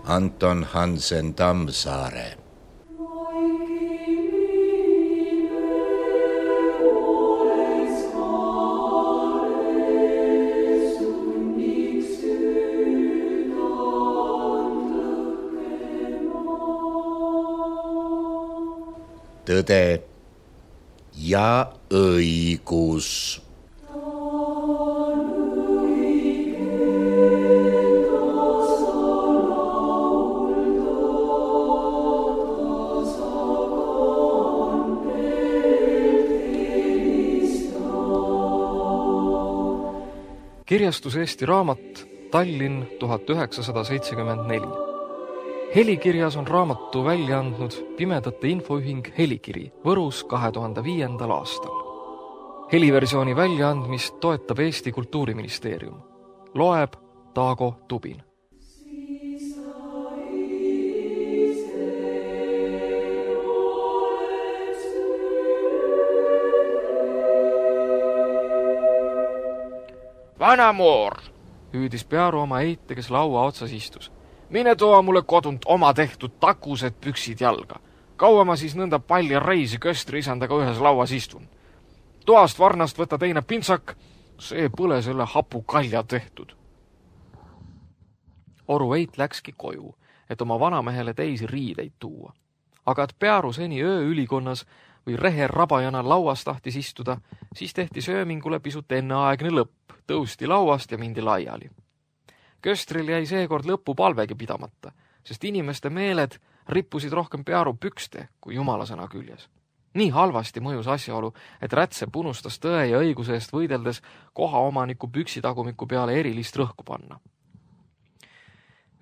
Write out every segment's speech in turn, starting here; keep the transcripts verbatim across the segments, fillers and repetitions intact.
Anton Hansen Tammsaare. Tõde ja õigus. Kirjastus Eesti Raamat, Tallinn tuhat üheksasada seitsekümmend neli. Helikirjas on raamatu välja andnud Pimedate Infoühing Helikiri Võrus kahe tuhande viiendal aastal. Heliversiooni väljaandmist toetab Eesti Kultuuriministeerium. Loeb Taago Tubin. Vanamoor, hüüdis Pearu oma eite, kes laua otsas istus. Mine toa mulle kodunt oma tehtud takused püksid jalga. Kaua ma siis nõnda palja reisi köstri isandaga ühes lauas istun. Toast varnast võta teine pintsak, see põle selle hapu kalja tehtud. Oru eit läkski koju, et oma vanamehele teisi riideid tuua. Aga et Pearu seni ööülikonnas või reher rabajana lauas tahtis istuda, siis tehti söömingule pisut enneaegne lõpp, tõusti lauast ja mindi laiali. Köstril jäi seekord lõppu palvegi pidamata, sest inimeste meeled rippusid rohkem Pearu pükste kui jumalasõna küljes. Nii halvasti mõjus asjaolu, et Rätsep unustas tõe ja õiguse eest võideldes kohaomaniku püksitagumiku peale erilist rõhku panna.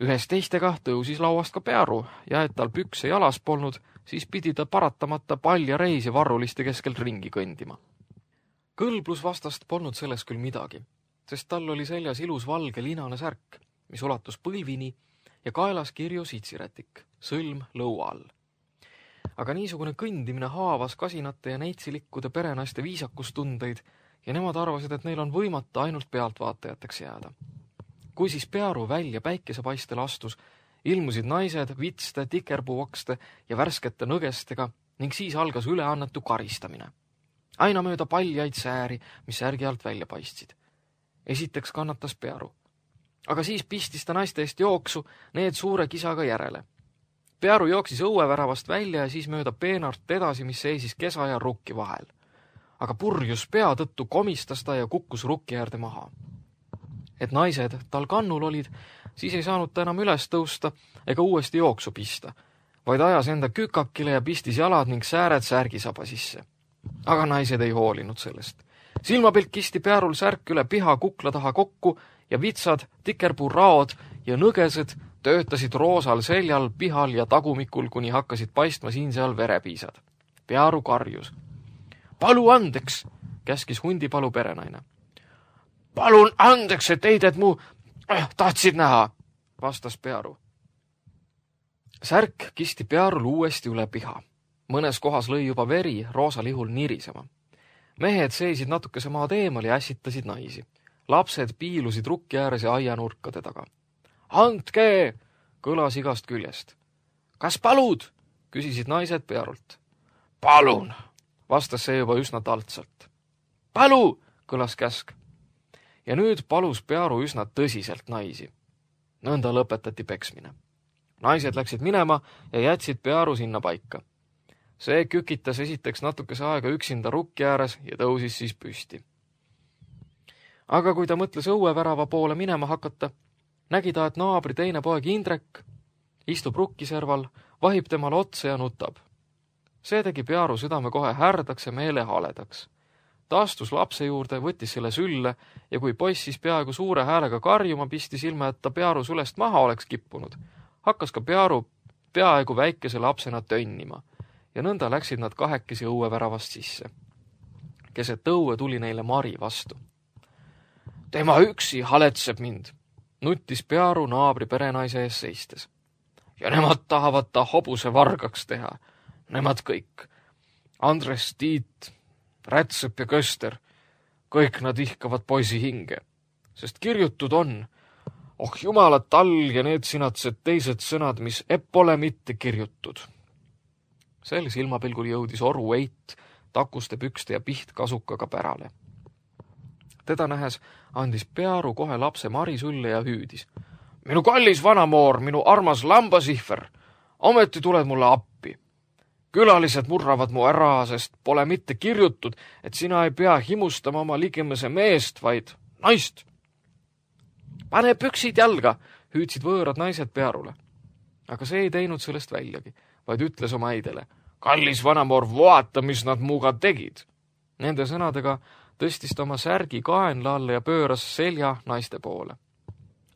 Ühes teistega tõusis lauast ka Pearu ja et tal pükse jalas polnud, siis pidi ta paratamata palja reisi varruliste keskel ringi kõndima. Kõlblus vastast polnud selles küll midagi, sest tal oli seljas ilus valge linane särk, mis ulatus põlvini ja kaelas kirju sitsirätik, sõlm lõua all. Aga niisugune kõndimine haavas kasinate ja neitsilikkude perenaiste viisakustundeid ja nemad arvasid, et neil on võimata ainult pealtvaatajateks jääda. Kui siis Pearu välja päikesepaistel astus, ilmusid naised vitste, tikerpuuokste ja värskete nõgestega ning siis algas üleannetu karistamine. Aina mööda paljaid sääri, mis särgi alt välja paistsid. Esiteks kannatas Pearu. Aga siis pistis ta naiste eest jooksu need suure kisaga järele. Pearu jooksis õueväravast välja ja siis mööda peenart edasi, mis seisis kesa ja rukki vahel. Aga purjus pea tõttu komistas ta ja kukkus rukki äärde maha. Et naised tal kannul olid, siis ei saanud ta enam üles tõusta ega uuesti jooksu pista, vaid ajas enda kükakile ja pistis jalad ning sääred särgisaba sisse. Aga naised ei hoolinud sellest. Silmapilk kisti Pearul särk üle piha kukla taha kokku ja vitsad, tikerpuu raod ja nõgesed töötasid roosal seljal, pihal ja tagumikul, kuni hakkasid paistma siin-seal verepiisad. Pearu karjus. Palu andeks, käskis hundipalu perenaine. Palun andeks, et eided mu äh, tahtsid näha, vastas Pearu. Särk kisti Pearul uuesti üle piha. Mõnes kohas lõi juba veri roosalihul nirisema. Mehed seisid natukese maad eemal ja ässitasid naisi. Lapsed piilusid rukki ääres ja aianurkade taga. Andke, kõlas igast küljest. Kas palud? Küsisid naised Pearult. Palun, vastas see juba üsna taltsalt. Palu, kõlas käsk. Ja nüüd palus Pearu üsna tõsiselt naisi. Nõnda lõpetati peksmine. Naised läksid minema ja jätsid Pearu sinna paika. See kükitas esiteks natukese aega üksinda rukki ääres ja tõusis siis püsti. Aga kui ta mõtles õuevärava poole minema hakata, nägi ta, et naabri teine poeg Indrek istub rukkiserval, vahib temale otsa ja nutab. See tegi Pearu südame kohe härdaks ja meele haledaks. Ta astus lapse juurde, võttis selle sülle ja kui poiss siis peaaegu suure häälega karjuma pistis ilma, et ta Pearu sulest maha oleks kippunud, hakkas ka Pearu peaaegu väikese lapsena tönnima ja nõnda läksid nad kahekesi õueväravast sisse. Keset õue tuli neile Mari vastu. Tema üksi haletseb mind, nuttis Pearu naabri perenaise ees seistes. Ja nemad tahavad ta hobuse vargaks teha. Nemad kõik. Andres, Tiit, Rätsep ja Köster. Kõik nad ihkavad poisi hinge. Sest kirjutud on, Oh jumala talg ja need sinatsed teised sõnad, mis eppole mitte kirjutud. Sel silmapilgul jõudis oru Eit takuste pükste ja pihtkasukaga pärale. Teda nähes andis Pearu kohe lapse Mari sülle ja hüüdis. Minu kallis vanamoor, minu armas lambasihver, ometi tuled mulle appi. Külalised murravad mu ära, sest pole mitte kirjutud, et sina ei pea himustama oma ligemese meest, vaid naist. Pane püksid jalga, hüüdsid võõrad naised Pearule. Aga see ei teinud sellest väljagi, vaid ütles oma äidele. Kallis vanamoor, vaata, mis nad muuga tegid. Nende sõnadega tõstis ta oma särgi kaenla alla ja pööras selja naiste poole.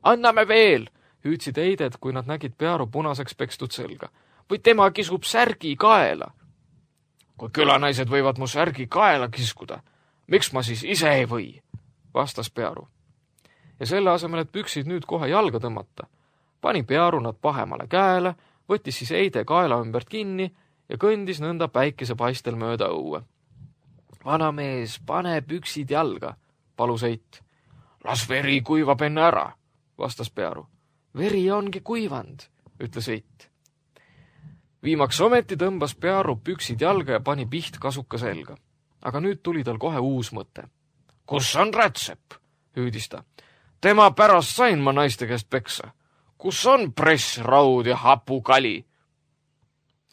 Anname veel, hüüdsid eided, kui nad nägid Pearu punaseks pekstud selga. Või tema kisub särgi kaela. Kui külanaised võivad mu särgi kaela kiskuda, miks ma siis ise ei või, vastas Pearu. Ja selle asemel, et püksid nüüd kohe jalga tõmmata, pani Pearu nad pahemale käele, võttis siis eide kaela ümbert kinni ja kõndis nõnda päikese paistel mööda õue. Vanamees, pane püksid jalga, palus Eit. Las veri kuivab enne ära, vastas Pearu. Veri ongi kuivand, ütles Eit. Viimaks ometi tõmbas Pearu püksid jalga ja pani pihtkasuka selga. Aga nüüd tuli tal kohe uus mõte. Kus on Rätsep, hüüdis ta. Tema pärast sain ma naiste käest peksa. Kus on press, raud ja hapukali?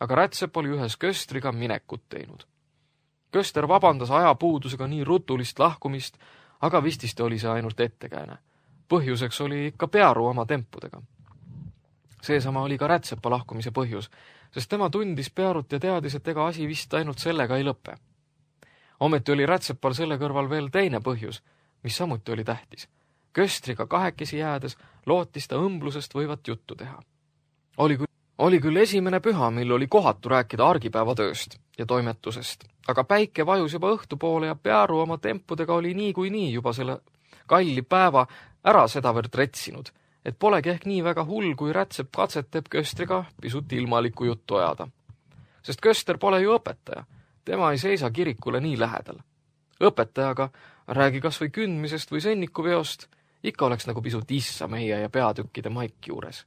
Aga Rätsep oli ühes köstriga minekut teinud. Köster vabandas ajapuudusega nii rutulist lahkumist, aga vististe oli see ainult ettekääne. Põhjuseks oli ikka Pearu oma tempudega. Seesama oli ka Rätsepa lahkumise põhjus, sest tema tundis Pearut ja teadis, et ega asi vist ainult sellega ei lõpe. Ometi oli Rätsepal selle kõrval veel teine põhjus, mis samuti oli tähtis. Köstriga kahekesi jäädes lootis ta õmblusest võivat juttu teha. Oli küll, oli küll esimene püha, mil oli kohatu rääkida argipäevatööst ja toimetusest, aga päike vajus juba õhtu poole ja Pearu oma tempudega oli nii kui nii juba selle kalli päeva ära sedavõrd retsinud, et polegi ehk nii väga hull, kui Rätsep katsetab Köstriga pisut ilmalikku juttu ajada. Sest Köster pole ju õpetaja, tema ei seisa kirikule nii lähedal. Õpetajaga räägi kas või kündmisest või sõnnikuveost, ikka oleks nagu pisut issa meie ja peatükkide maik juures.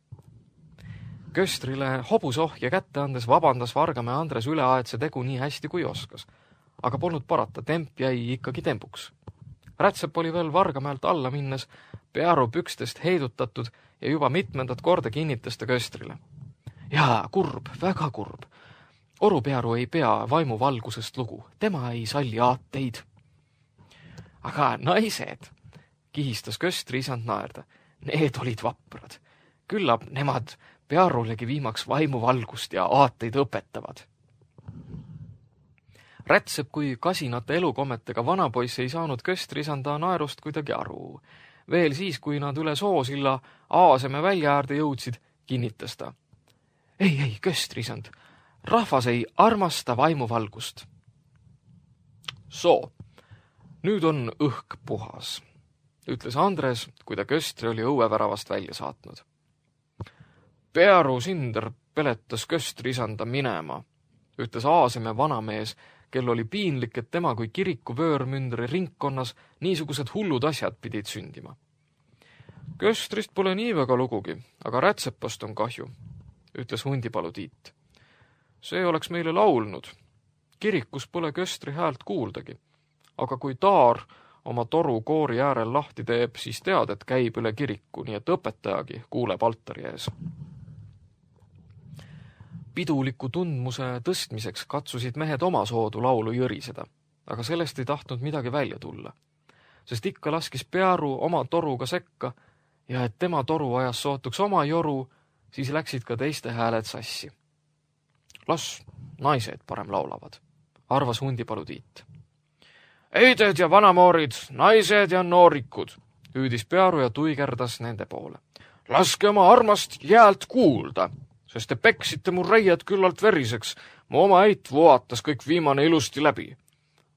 Köstrile hobusohja kätte andes vabandas Vargamäe Andres üleaetse tegu nii hästi kui oskas, aga polnud parata, temp jäi ikkagi tempuks. Rätsep oli veel Vargamäelt alla minnes Pearu pükstest heidutatud ja juba mitmendat korda kinnitas ta Köstrile. Jaa, kurb, väga kurb. Oru Pearu ei pea vaimu valgusest lugu, tema ei salli aateid. Aga naised, kihistas Köstri isand naerda, need olid vaprad. Küllap nemad Pearulegi viimaks vaimu valgust ja aateid õpetavad. Rätsep kui kasinate elukommetega vanapoiss ei saanud Köstri isanda naerust kuidagi aru. Veel siis, kui nad üle soosilla Aaseme välja äärde jõudsid, kinnitas ta. Ei, ei, Köstri isand, rahvas ei armasta vaimuvalgust. Soo, nüüd on õhk puhas, ütles Andres, kui ta Köstri oli õueväravast välja saatnud. Pearu Sinder peletas Köstri isanda minema, ütles Aaseme vanamees, kel oli piinlik, et tema kui kiriku vöörmündri ringkonnas niisugused hullud asjad pidid sündima. Köstrist pole nii väga lugugi, aga Rätsepast on kahju, ütles Hundipalu Tiit. See oleks meile laulnud. Kirikus pole Köstri häält kuuldagi, aga kui taar oma toru koori äärel lahti teeb, siis tead, et käib üle kiriku, nii et õpetajagi kuuleb altari ees. Piduliku tundmuse tõstmiseks katsusid mehed oma soodu laulu jõriseda, aga sellest ei tahtnud midagi välja tulla, sest ikka laskis Pearu oma toruga sekka ja et tema toru ajas sootuks oma joru, siis läksid ka teiste hääled sassi. Las naised parem laulavad, arvas Hundipalu Tiit. Eided ja vanamoorid, naised ja noorikud, hüüdis Pearu ja tuigerdas nende poole. Laske oma armast jäält kuulda, sest te peksite mu reied küllalt veriseks, mu oma eit vootas kõik viimane ilusti läbi.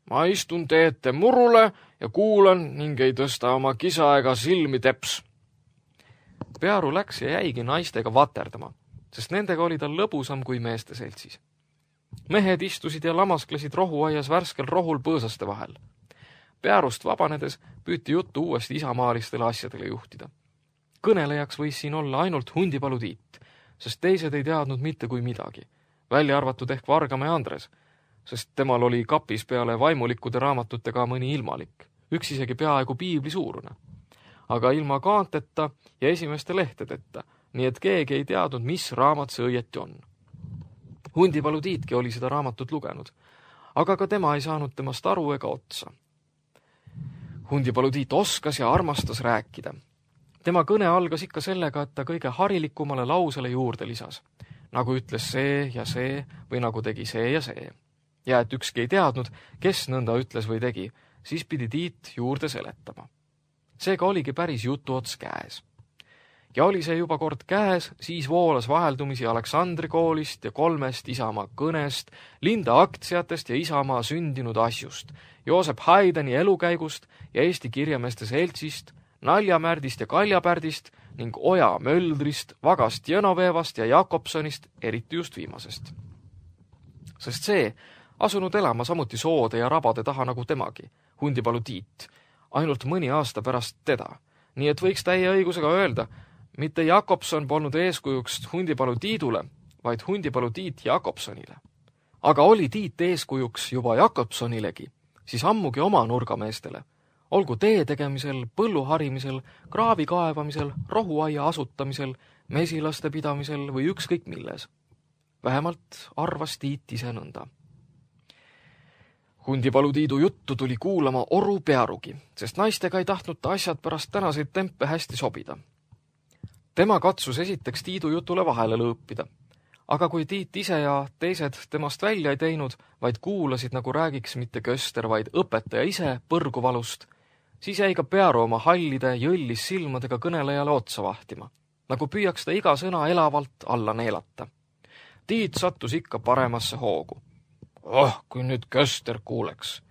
Ma istun teete murule ja kuulan ning ei tõsta oma kisa ega silmi teps. Pearu läks ja jäigi naistega vaterdama, sest nendega oli tal lõbusam kui meeste seltsis. Mehed istusid ja lamasklesid rohuaias värskel rohul põõsaste vahel. Pearust vabanedes püüti juttu uuesti isamaalistele asjadele juhtida. kõnelejaks võis siin olla ainult Hundipalu Tiit, sest teised ei teadnud mitte kui midagi, välja arvatud ehk Vargamäe Andres, sest temal oli kapis peale vaimulikkude raamatutega mõni ilmalik, üks isegi peaaegu piibli suurune. Aga ilma kaanteta ja esimeste lehtedeta, nii et keegi ei teadnud, mis raamat see õieti on. Hundipalu Tiitki oli seda raamatut lugenud, aga ka tema ei saanud temast aru ega otsa. Hundipalu Tiit oskas ja armastas rääkida. Tema kõne algas ikka sellega, et ta kõige harilikumale lausele juurde lisas, nagu ütles see ja see või nagu tegi see ja see. Ja et ükski ei teadnud, kes nõnda ütles või tegi, siis pidi Tiit juurde seletama. Seega oligi päris jutuots käes. Ja oli see juba kord käes, siis voolas vaheldumisi Aleksandri koolist ja kolmest Isamaa kõnest, Linda aktsiatest ja Isamaa sündinud asjust, Joosep Haideni elukäigust ja Eesti kirjameeste seltsist, Naljamärdist ja Kaljapärdist ning Oja Möldrist, Vagast Jõnoveevast ja Jakobsonist, eriti just viimasest. Sest see, asunud elama samuti soode ja rabade taha nagu temagi, Hundipalu Tiit, ainult mõni aasta pärast teda, nii et võiks täie õigusega öelda, mitte Jakobson polnud eeskujuks Hundipalu Tiidule, vaid Hundipalu Tiit Jakobsonile. Aga oli Tiit eeskujuks juba Jakobsonilegi, siis ammugi oma nurgameestele, olgu tee tegemisel, põllu harimisel, kraavi kaevamisel, rohuaia asutamisel, mesilaste pidamisel või ükskõik milles. Vähemalt arvas Tiit ise nõnda. Hundipalu Tiidu juttu tuli kuulama Oru Pearugi, sest naistega ei tahtnud ta asjad pärast tänaseid tempe hästi sobida. Tema katsus esiteks Tiidu jutule vahele lõõpida, aga kui Tiit ise ja teised temast välja ei teinud, vaid kuulasid, nagu räägiks mitte köster, vaid õpetaja ise põrguvalust, siis jäi ka Pearu oma hallide jõllis silmadega kõnelejale otsa vahtima, nagu püüaks ta iga sõna elavalt alla neelata. Tiit sattus ikka paremasse hoogu. Oh, kui nüüd köster kuuleks,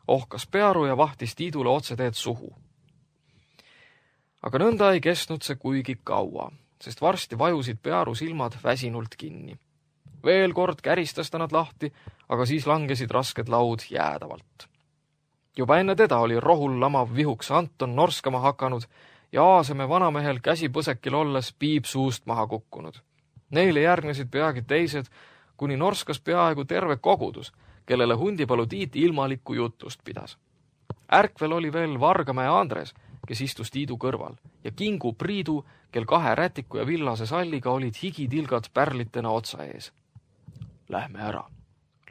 ohkas Pearu ja vahtis Tiidule otseteed suhu. Aga nõnda ei kestnud see kuigi kaua, sest varsti vajusid Pearu silmad väsinult kinni. Veel kord käristas ta nad lahti, aga siis langesid rasked laud jäädavalt. Juba enne teda oli rohul lamav vihuks Anton norskama hakanud ja Aaseme vanamehel käsipõsekil olles piip suust maha kukkunud. Neile järgnesid peagi teised, kuni norskas peaaegu terve kogudus, kellele Hundipalu Tiit ilmalikku jutust pidas. Ärkvel oli veel Vargamäe Andres, kes istus Tiidu kõrval, ja Kingu Priidu, kel kahe rätiku ja villase salliga olid higitilgad pärlitena otsa ees. Lähme ära,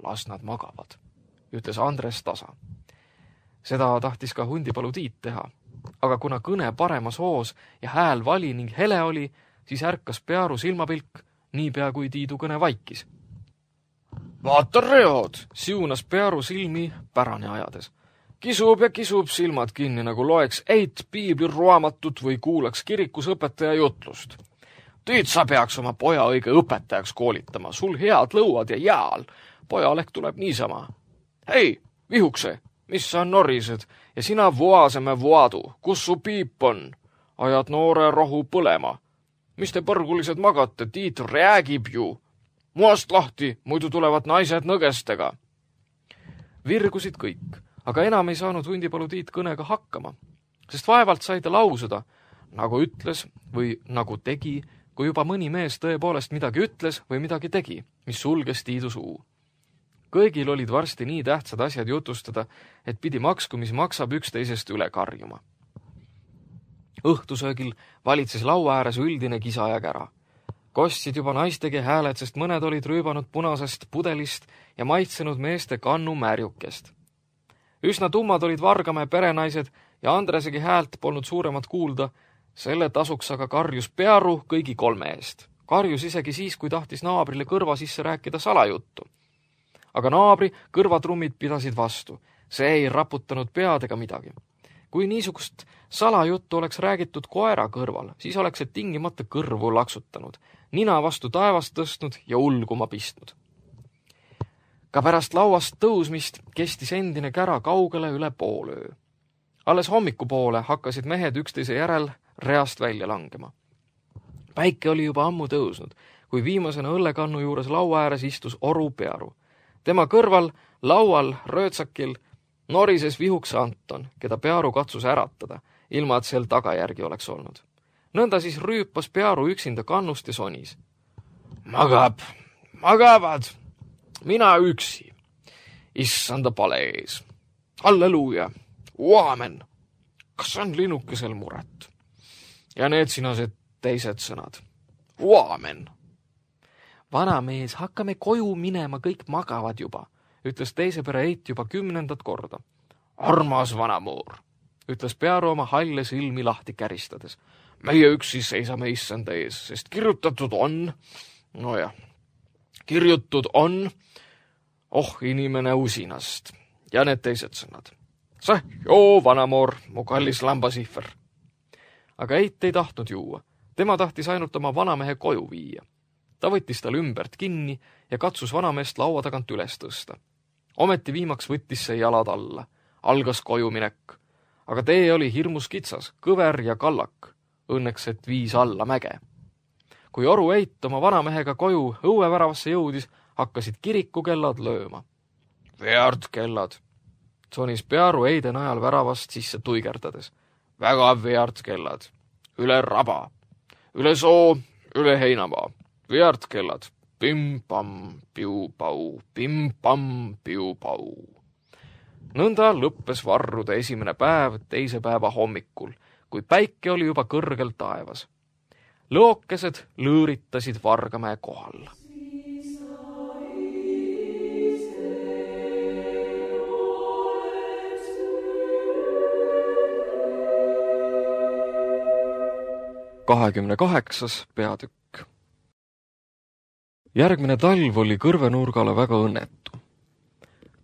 las nad magavad, ütles Andres tasa. Seda tahtis ka Hundipalu Tiit teha, aga kuna kõne paremas hoos ja hääl vali ning hele oli, siis ärkas Pearu silmapilk, niipea kui Tiidu kõne vaikis. Vaata reod, siunas Pearu silmi pärane ajades. Kisub ja kisub silmad kinni, nagu loeks eit piibli raamatut või kuulaks kirikus õpetaja jutlust. Tiit, sa peaks oma poja õige õpetajaks koolitama, sul head lõuad ja jääl. Pojalehk tuleb niisama. Hei, vihukse, mis sa norised ja sina voaseme voadu, kus su piip on? Ajad noore rohu põlema. Mis te põrgulised magate, Tiit räägib ju. Muast lahti, muidu tulevad naised nõgestega. Virgusid kõik, aga enam ei saanud Hundipalu Tiit kõnega hakkama, sest vaevalt sai ta lausuda, nagu ütles või nagu tegi, kui juba mõni mees tõepoolest midagi ütles või midagi tegi, mis sulges Tiidu suu. Kõigil olid varsti nii tähtsad asjad jutustada, et pidi maksku, mis maksab üksteisest üle karjuma. Õhtusöögil valitses laua ääres üldine kisa ja kära. Kostsid juba naistegi hääled, sest mõned olid rüübanud punasest pudelist ja maitsenud meeste kannu märjukest. Üsna tummad olid Vargamäe perenaised ja Andresegi häält polnud suuremat kuulda, selle tasuks aga karjus Pearu kõigi kolme eest. Karjus isegi siis, kui tahtis naabrile kõrva sisse rääkida salajuttu. Aga naabri kõrvatrummid pidasid vastu. See ei raputanud pead ega midagi. Kui niisugust salajuttu oleks räägitud koera kõrval, siis oleks see tingimata kõrvu laksutanud, nina vastu taevast tõstnud ja ulguma pistnud. Ka pärast lauast tõusmist kestis endine kära kaugele üle poolöö. Alles hommikupoole hakkasid mehed üksteise järel reast välja langema. Päike oli juba ammu tõusnud, kui viimasena õllekannu juures laua ääres istus Oru Pearu. Tema kõrval, laual, röötsakil, norises vihuks Anton, keda Pearu katsus äratada, ilma et sel tagajärgi oleks olnud. Nõnda siis rüüpas Pearu üksinda kannust ja sonis. Magab, magavad, mina üksi, issanda pale ees. Halleluuja, aamen, kas on linnukesel muret? Ja need sinased teised sõnad. Aamen. Vanamees, hakkame koju minema, kõik magavad juba, ütles teise pere Eit juba kümnendat korda. Armas vanamoor, ütles Pearu oma halle silmi lahti käristades. Meie üksi seisame issanda ees, sest kirjutatud on, no jah, kirjutud on, oh inimene usinast ja need teised sõnad. Säh, joo, vanamoor, mu kallis lambasihver. Aga Eit ei tahtnud juua. Tema tahtis ainult oma vanamehe koju viia. Ta võttis tal ümbert kinni ja katsus vanameest laua tagant üles tõsta. Ometi viimaks võttis see jalad alla. Algas koju minek. Aga tee oli hirmus kitsas, kõver ja kallak. Õnneks, et viis alla mäge. Kui oru Eit oma vanamehega koju õueväravasse jõudis, hakkasid kirikukellad lööma. Veard kellad, sonis Pearu Eide najal väravast sisse tuigerdades. Väga veard kellad, üle raba, üle soo, üle heinamaa. Veard kellad, pim-pam, piu-pau, pim-pam, piu-pau. Nõnda lõppes varrude esimene päev teise päeva hommikul, kui päike oli juba kõrgel taevas. Lõokesed lõõritasid Vargamäe kohal. kahekümne kaheksas peatükk. Järgmine talv oli kõrvenurgale väga õnnetu.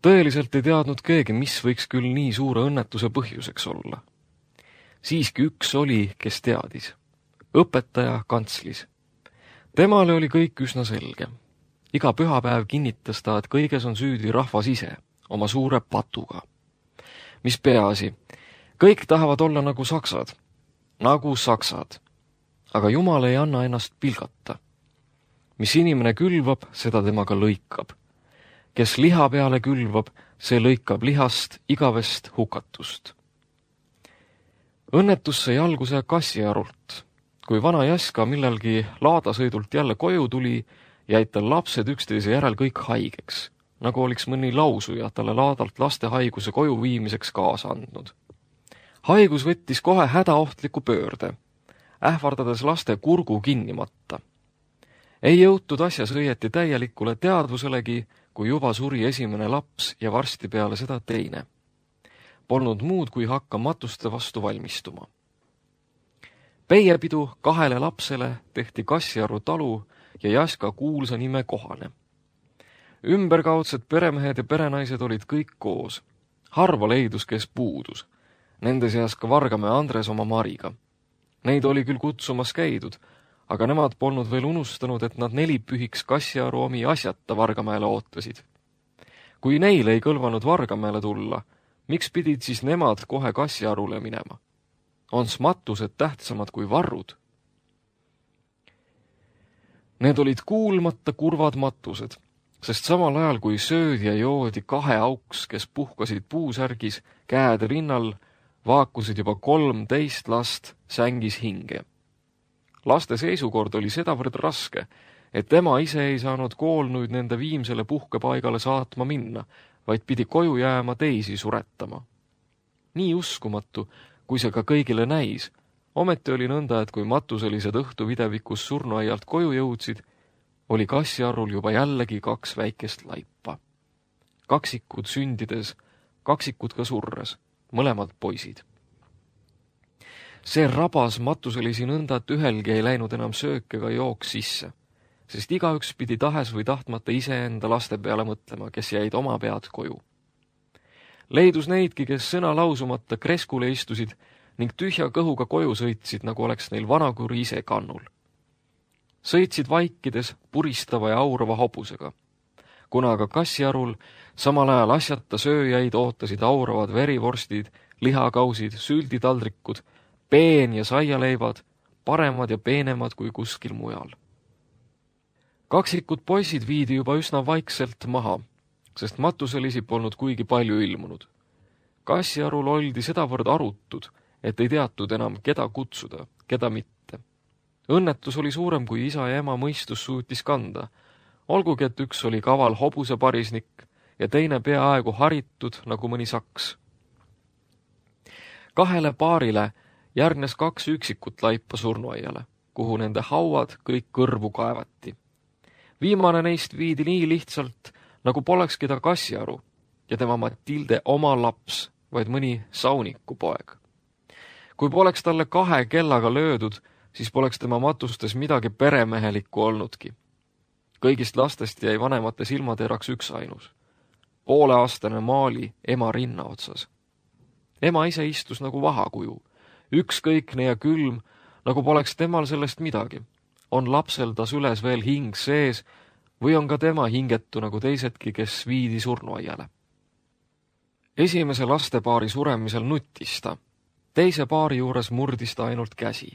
Tõeliselt ei teadnud keegi, mis võiks küll nii suure õnnetuse põhjuseks olla. Siiski üks oli, kes teadis. Õpetaja kantslis. Temale oli kõik üsna selge. Iga pühapäev kinnitas ta, et kõiges on süüdi rahvas ise, oma suure patuga. Mis peaasi, kõik tahavad olla nagu saksad. Nagu saksad. Aga Jumal ei anna ennast pilgata. Mis inimene külvab, seda temaga lõikab. Kes liha peale külvab, see lõikab lihast igavest hukatust. Õnnetus sai alguse kassiarult. Kui vana Jaska millalgi laadasõidult jälle koju tuli, jäid tal lapsed üksteise järel kõik haigeks, nagu oliks mõni lausuja talle laadalt laste haiguse koju viimiseks kaasa andnud. Haigus võttis kohe hädaohtliku pöörde, ähvardades laste kurgu kinnimatta. Ei jõutud asjas õieti täielikule teadvuselegi, kui juba suri esimene laps ja varsti peale seda teine. Polnud muud, kui hakka matuste vastu valmistuma. Peiepidu kahele lapsele tehti Kassiaru talu ja Jaska kuulsa nime kohane. Ümberkaudsed peremehed ja perenaised olid kõik koos. Harva leidus, kes puudus. Nende seas ka Vargamäe Andres oma Mariga. Neid oli küll kutsumas käidud, aga nemad polnud veel unustanud, et nad nelipühiks Kassiaru omi asjata Vargamäele ootasid. Kui neile ei kõlvanud Vargamäele tulla, miks pidid siis nemad kohe Kassiarule minema? Ons matused tähtsamad kui varrud? Need olid kuulmata kurvad matused, sest samal ajal kui söödi ja joodi kahe auks, kes puhkasid puusärgis, käed rinnal, vaakusid juba kolmteist last sängis hinge. Laste seisukord oli sedavõrd raske, et tema ise ei saanud koolnuid nende viimsele puhkepaigale saatma minna, vaid pidi koju jääma teisi suretama. Nii uskumatu, kui see ka kõigile näis, ometi oli nõnda, et kui matuselised õhtuvidevikus surnuaialt koju jõudsid, oli Kassiarul juba jällegi kaks väikest laipa. Kaksikud sündides, kaksikud ka surres, mõlemad poisid. See rabas matuselisi nõnda, et ühelgi ei läinud enam söök ega jooks sisse, sest igaüks pidi tahes või tahtmata iseenda laste peale mõtlema, kes jäid oma pead koju. Leidus neidki, kes sõna lausumata kreskule istusid ning tühja kõhuga koju sõitsid, nagu oleks neil vanakuri ise kannul. Sõitsid vaikides puristava ja aurava hobusega. Kuna aga Kassiarul samal ajal asjata sööjaid ootasid auravad verivorstid, lihakausid, sülditaldrikud, peen ja saialeivad, paremad ja peenemad kui kuskil mujal. Kaksikud poisid viidi juba üsna vaikselt maha, sest matuselisi polnud kuigi palju ilmunud. Kassiarul oldi sedavõrd arutud, et ei teatud enam, keda kutsuda, keda mitte. Õnnetus oli suurem, kui isa ja ema mõistus suutis kanda. Olgugi, et üks oli kaval hobuseparisnik ja teine peaaegu haritud nagu mõni saks. Kahele paarile järgnes kaks üksikut laipa surnuaiale, kuhu nende hauad kõik kõrvu kaevati. Viimane neist viidi nii lihtsalt, nagu polekski ta Kassiaru ja tema Matilde oma laps, vaid mõni sauniku poeg. Kui poleks talle kahe kellaga löödud, siis poleks tema matustes midagi peremehelikku olnudki. Kõigist lastest jäi vanemate silmateraks üks ainus. Pooleaastane Maali ema rinna otsas. Ema ise istus nagu vahakuju, ükskõikne ja külm, nagu poleks temal sellest midagi. On lapsel ta süles veel hing sees või on ka tema hingetu nagu teisedki, kes viidi surnuaiale. Esimese lastepaari suremisel nuttis ta. Teise paari juures murdis ta ainult käsi.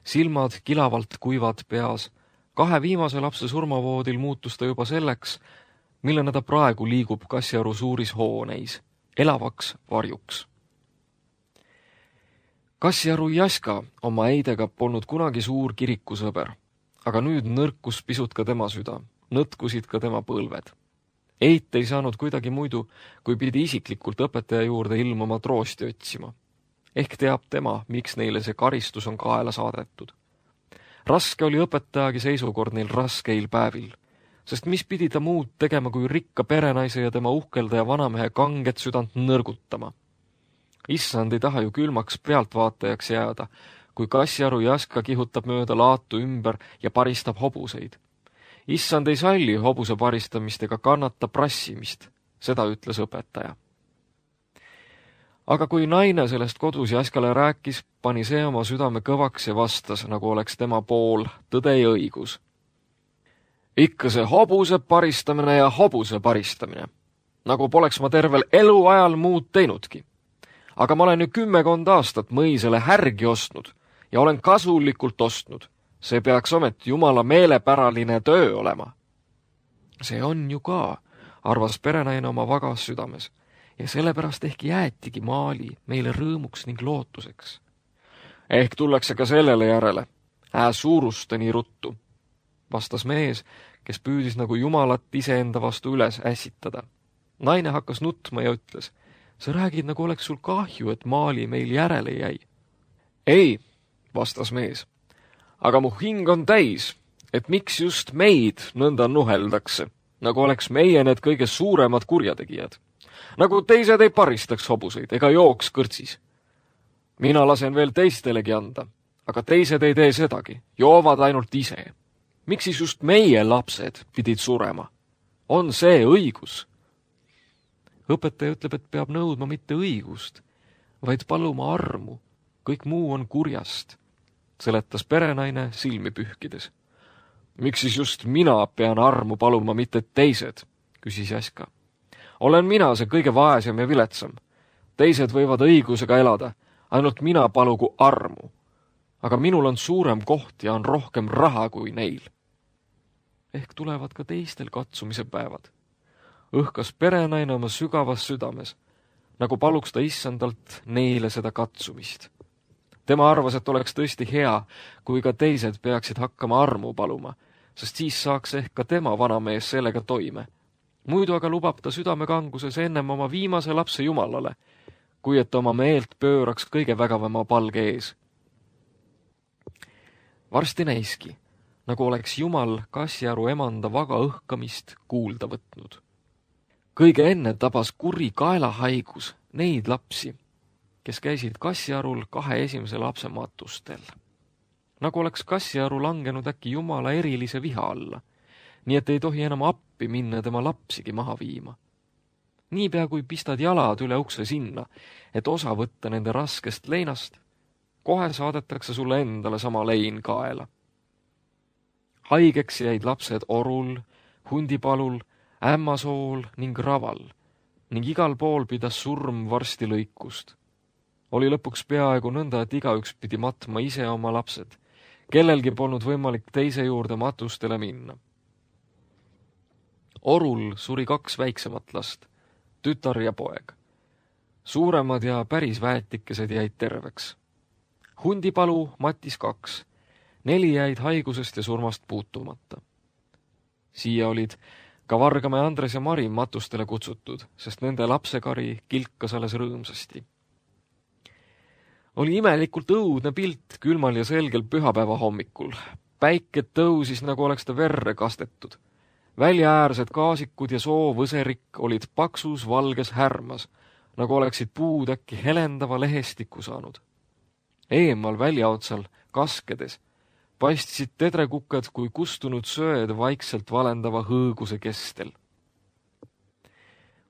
Silmad kilavalt kuivad peas. Kahe viimase lapse surmavoodil muutus ta juba selleks, millena ta praegu liigub Kassiaru suuris hooneis, elavaks varjuks. Kassiaru Jaska oma eidega polnud kunagi suur kirikusõber, aga nüüd nõrkus pisut ka tema süda, nõtkusid ka tema põlved. Eit ei saanud kuidagi muidu, kui pidi isiklikult õpetaja juurde ilmuma troosti otsima. Ehk teab tema, miks neile see karistus on kaela saadetud. Raske oli õpetajagi seisukord neil raskeil päevil, sest mis pidi ta muud tegema kui rikka perenaise ja tema uhkeldaja vanamehe kanget südant nõrgutama. Issand ei taha ju külmaks pealtvaatajaks jääda, kui Kassiaru Jaska kihutab mööda laatu ümber ja paristab hobuseid. Issand ei salli hobuse paristamist ega kannata prassimist, seda ütles õpetaja. Aga kui naine sellest kodus Jaskale rääkis, pani see oma südame kõvaks ja vastas, nagu oleks tema pool tõde ja õigus. Ikka see hobuse paristamine ja hobuse paristamine, nagu poleks ma tervel eluajal muud teinudki. Aga ma olen ju kümmekond aastat mõisele härgi ostnud ja olen kasulikult ostnud. See peaks ometi jumala meelepäraline töö olema. See on ju ka, arvas perenaine oma vagas südames, ja sellepärast ehk jäetigi Maali meile rõõmuks ning lootuseks. Ehk tullakse ka sellele järele, ää suuruste nii ruttu, vastas mees, kes püüdis nagu jumalat iseenda vastu üles ässitada. Naine hakkas nutma ja ütles, sa räägid, nagu oleks sul kahju, et Maali meil järele jäi. Ei, vastas mees, aga mu hing on täis, et miks just meid nõnda nuheldakse, nagu oleks meie need kõige suuremad kurjategijad. Nagu teised ei paristaks hobuseid ega jooks kõrtsis. Mina lasen veel teistelegi anda, aga teised ei tee sedagi, joovad ainult ise. Miks siis just meie lapsed pidid surema? On see õigus? Õpetaja ütleb, et peab nõudma mitte õigust, vaid paluma armu. Kõik muu on kurjast, seletas perenaine silmi pühkides. Miks siis just mina pean armu paluma, mitte teised, küsis Jaska. Olen mina see kõige vaesem ja viletsam. Teised võivad õigusega elada, ainult mina palugu armu. Aga minul on suurem koht ja on rohkem raha kui neil. Ehk tulevad ka teistel katsumise päevad. Õhkas perenaine oma sügavas südames, nagu paluks ta issandalt neile seda katsumist. Tema arvas, et oleks tõesti hea, kui ka teised peaksid hakkama armu paluma, sest siis saaks ehk ka tema vanamees sellega toime. Muidu aga lubab ta südamekanguses ennem oma viimase lapse jumalale, kui et oma meelt pööraks kõige vägavama palge ees. Varsti näiski, nagu oleks jumal Kassiaru emanda vaga õhkamist kuulda võtnud. Kõige enne tabas kuri kaelahaigus neid lapsi, kes käisid Kassiarul kahe esimese lapse matustel. Nagu oleks Kassiaru langenud äkki jumala erilise viha alla, nii et ei tohi enam appi minna tema lapsigi maha viima. Niipea kui pistad jalad üle ukse sinna, et osa võtta nende raskest leinast, kohe saadetakse sulle endale sama lein kaela. Haigeks jäid lapsed Orul, Hundipalul, Ämmasool ning Raval ning igal pool pidas surm varsti lõikust. Oli lõpuks peaaegu nõnda, et igaüks pidi matma ise oma lapsed. Kellelgi polnud võimalik teise juurde matustele minna. Orul suri kaks väiksemat last, tütar ja poeg. Suuremad ja päris väetikesed jäid terveks. Hundipalu matis kaks, Neli jäid haigusest ja surmast puutumata. Siia olid ka Vargamäe Andres ja Mari matustele kutsutud, sest nende lapsekari kilkas alles rõõmsasti. Oli imelikult õudne pilt külmal ja selgel pühapäeva hommikul. Päike tõusis, nagu oleks ta verre kastetud. Väljaäärsed kaasikud ja soovõserik olid paksus valges härmas, nagu oleksid puud äkki helendava lehestiku saanud. Eemal väljaotsal, kaskedes, paistsid tedrekukad kui kustunud sööd vaikselt valendava hõõguse kestel.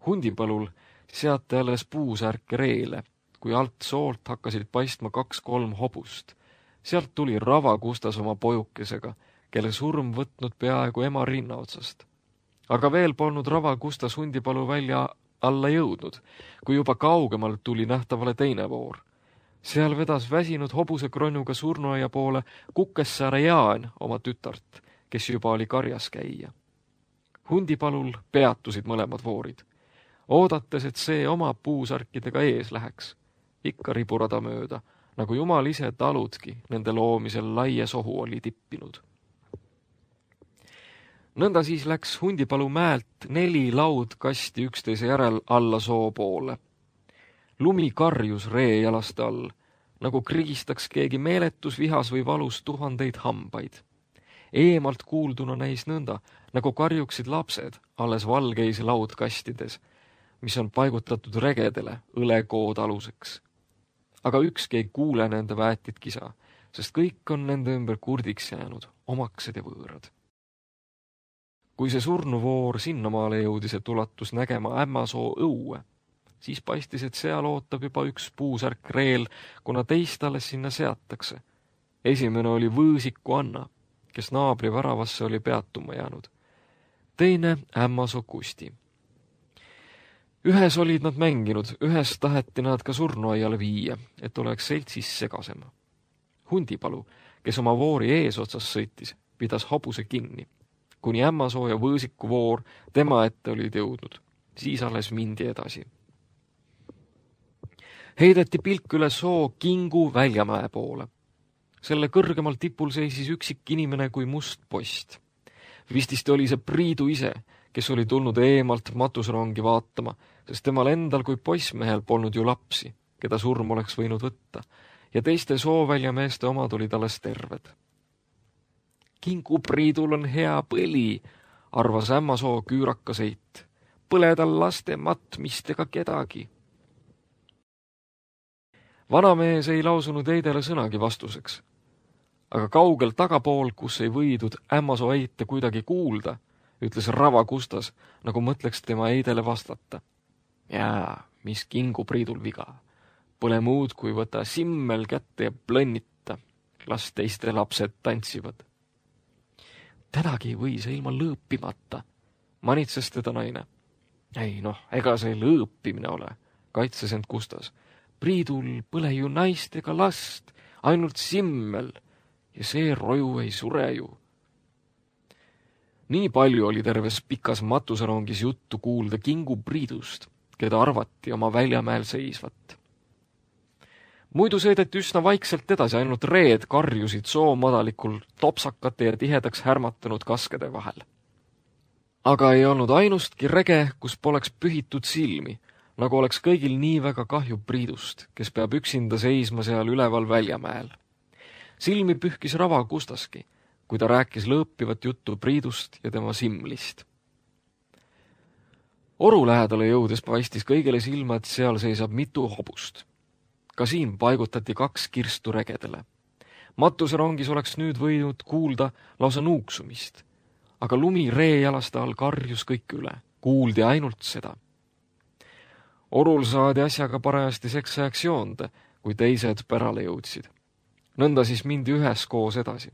Hundipalul seati alles puusärke reele, kui alt soolt hakkasid paistma kaks-kolm hobust. Sealt tuli Rava Kustas oma pojukesega, kelle surm võtnud peaaegu ema rinna otsast. Aga veel polnud Rava Kustas Hundipalu välja alla jõudnud, kui juba kaugemalt tuli nähtavale teine voor. Seal vedas väsinud hobuse kronnuga surnuaia poole Kukessaare Jaan oma tütart, kes juba oli karjas käia. Hundipalul peatusid mõlemad voorid, oodates, et see oma puusarkidega ees läheks, ikka riburada mööda, nagu jumal ise taludki nende loomisel laia sohu oli tippinud. Nõnda siis läks Hundipalu mäelt neli laudkasti üksteise järel alla soo poole. Lumi karjus ree jalaste all, nagu krigistaks keegi meeletus vihas või valus tuhandeid hambaid. Eemalt kuulduna näis nõnda, nagu karjuksid lapsed alles valgeis laudkastides, mis on paigutatud regedele õlekood aluseks. Aga ükski ei kuule nende väetit kisa, sest kõik on nende ümber kurdiks jäänud, omaksed ja võõrad. Kui see surnuvoor sinnamaale jõudis, et ulatus nägema Ämmasoo õue, siis paistis, et seal ootab juba üks puusärk reel, kuna teist alles sinna seatakse. Esimene oli Võõsiku Anna, kes naabri väravasse oli peatuma jäänud. Teine Ämmasoo Kusti. Ühes olid nad mänginud, ühes taheti nad ka surnuaiale viia, et oleks seltsis segasem. Hundipalu, kes oma voori eesotsas sõitis, pidas hobuse kinni, kuni Ämmasoo ja Võõsiku voor tema ette olid jõudnud. Siis alles mindi edasi. Heideti pilk üle soo Kingu Väljamäe poole. Selle kõrgemal tipul seisis üksik inimene kui must post. Vististi oli see Priidu ise, kes oli tulnud eemalt matusrongi vaatama, sest temal endal kui poissmehel polnud ju lapsi, keda surm oleks võinud võtta, ja teiste sooväljameeste omad olid alles terved. Kingu Priidul on hea põli, arvas Ämmasoo küüraka seit. Põle tal laste matmistega kedagi. Vanamees ei lausunud Eidele sõnagi vastuseks, aga kaugel tagapool, kus ei võidud Ämmasoo eite kuidagi kuulda, ütles Rava Kustas, nagu mõtleks tema Eidele vastata. Jaa, mis Kingu Priidul viga. Pole muud, kui võta simmel kätte ja plõnnita. Las teiste lapsed tantsivad. Tänagi või see ilma lõõpimata, manitses teda naine. Ei noh, ega see lõõpimine ole, kaitses end Kustas. Priidul põle ju naist ega last, ainult simmel, ja see roju ei sure ju. Nii palju oli terves pikas matuserongis juttu kuulda Kingu Priidust, keda arvati oma Väljamäel seisvat. Muidu sõideti üsna vaikselt edasi, ainult reed karjusid soo madalikul topsakate ja tihedaks härmatanud kaskede vahel. Aga ei olnud ainustki rege, kus poleks pühitud silmi, nagu oleks kõigil nii väga kahju Priidust, kes peab üksinda seisma seal üleval Väljamäel. Silmi pühkis Rava Kustaski, kui ta rääkis lõõpivat juttu Priidust ja tema simlist. Oru lähedale jõudes paistis kõigile silma, et seal seisab mitu hobust. Ka siin paigutati kaks kirstu regedele. Matuserongis oleks nüüd võinud kuulda lausa nuuksumist, aga lumi reejalaste all karjus kõik üle, kuuldi ainult seda. Orul saadi asjaga parajasti seksajaks joonde, kui teised pärale jõudsid. Nõnda siis mindi ühes koos edasi.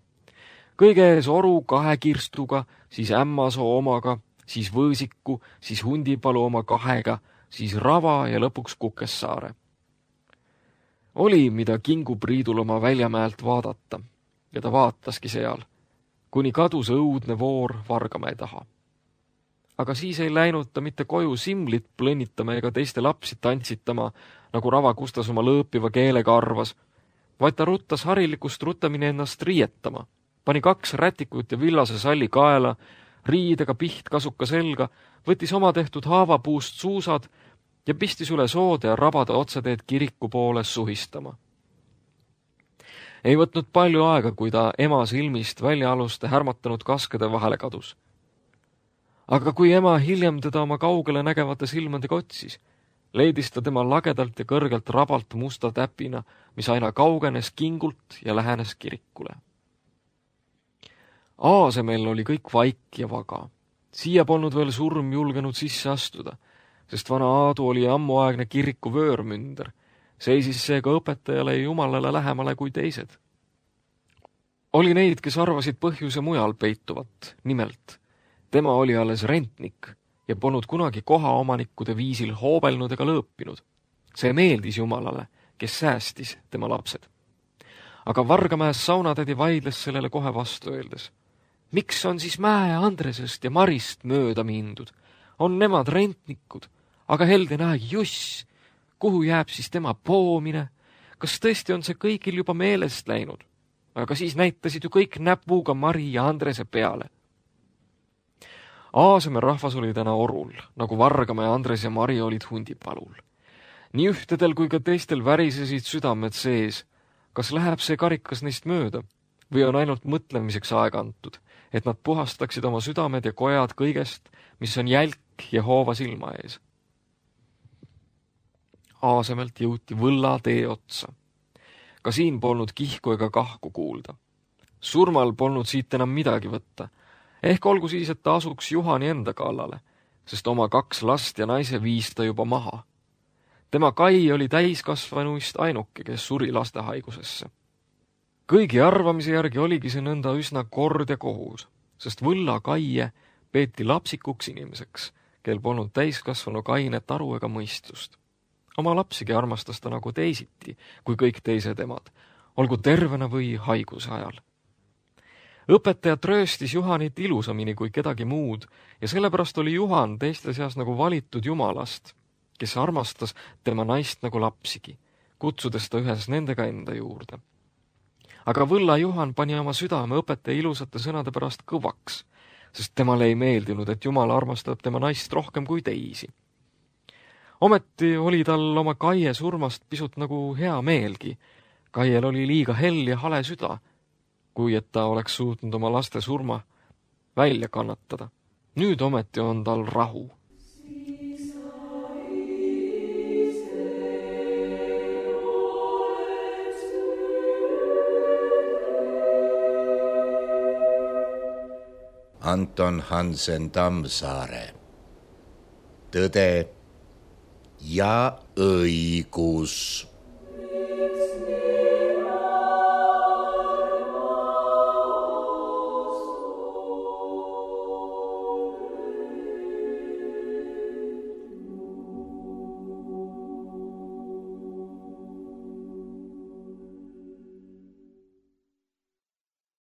Kõige ees Oru kahe kirstuga, siis Ämmasoo omaga, siis Võõsiku, siis Hundipalu oma kahega, siis Rava ja lõpuks Kukessaare. Oli, mida Kingu Priidul oma Väljamäelt vaadata, ja ta vaataski seal, kuni kadus õudne voor Vargamäe taha. Aga siis ei läinud ta mitte koju simlit plõnnitama ega teiste lapsi tantsitama, nagu Rava Kustas oma lõõpiva keelega arvas, vaid ta ruttas harilikust rutamini ennast riietama, pani kaks rätikut ja villase salli kaela, riidega pihtkasuka selga, võttis oma tehtud haavapuust suusad ja pistis üle soode ja rabada otseteed kiriku poole suhistama. Ei võtnud palju aega, kui ta ema silmist väljaaluste härmatanud kaskede vahele kadus. Aga kui ema hiljem teda oma kaugele nägevate silmadega otsis, leidis ta tema lagedalt ja kõrgelt rabalt musta täpina, mis aina kaugenes kingult ja lähenes kirikule. Aasemel oli kõik vaik ja vaga. Siia polnud veel surm julgenud sisse astuda, sest vana Aadu oli ammuaegne kiriku vöörmünder, seisis seega õpetajale ja jumalale lähemale kui teised. Oli neid, kes arvasid põhjuse mujal peituvat, nimelt tema oli alles rentnik ja polnud kunagi kohaomanikkude viisil hoobelnud ega lõõpinud. See meeldis jumalale, kes säästis tema lapsed. Aga Vargamäes saunatädi vaidles sellele kohe vastu öeldes. Miks on siis Mäe Andresest ja Marist mööda mindud? On nemad rentnikud, aga helde näegi juss. Kuhu jääb siis tema poomine? Kas tõesti on see kõigil juba meelest läinud? Aga siis näitasid ju kõik näpuga Mari ja Andrese peale. Aaseme rahvas oli täna orul, nagu Vargamäe Andres ja Mari olid hundipalul. Nii ühtedel kui ka teistel värisesid südamed sees. Kas läheb see karikas neist mööda või on ainult mõtlemiseks aega antud, et nad puhastaksid oma südamed ja kojad kõigest, mis on jälk ja hoova silma ees? Aasemelt jõuti võlla tee otsa. Ka siin polnud kihku ega kahku kuulda. Surmal polnud siit enam midagi võtta. Ehk olgu siis, et ta asuks Juhani enda kallale, sest oma kaks last ja naise viis ta juba maha. Tema Kai oli täiskasvanuist ainuke, kes suri lastehaigusesse. Kõigi arvamise järgi oligi see nõnda üsna kord ja kohus, sest võlla Kaie peeti lapsikuks inimeseks, kel polnud täiskasvanu kainet aru ega mõistust. Oma lapsigi armastas ta nagu teisiti, kui kõik teised emad, olgu tervena või haiguse ajal. Õpetajat rööstis Juhanit ilusamini kui kedagi muud ja sellepärast oli Juhan teiste seas nagu valitud jumalast, kes armastas tema naist nagu lapsigi, kutsudes ta ühes nendega enda juurde. Aga võlla Juhan pani oma südame õpetaja ilusate sõnade pärast kõvaks, sest temale ei meeldinud, et Jumal armastab tema naist rohkem kui teisi. Ometi oli tal oma Kaie surmast pisut nagu hea meelgi. Kaiel oli liiga hell ja hale süda, kui et ta oleks suutnud oma laste surma välja kannatada. Nüüd ometi on tal rahu. Anton Hansen Tammsaare. Tõde ja õigus.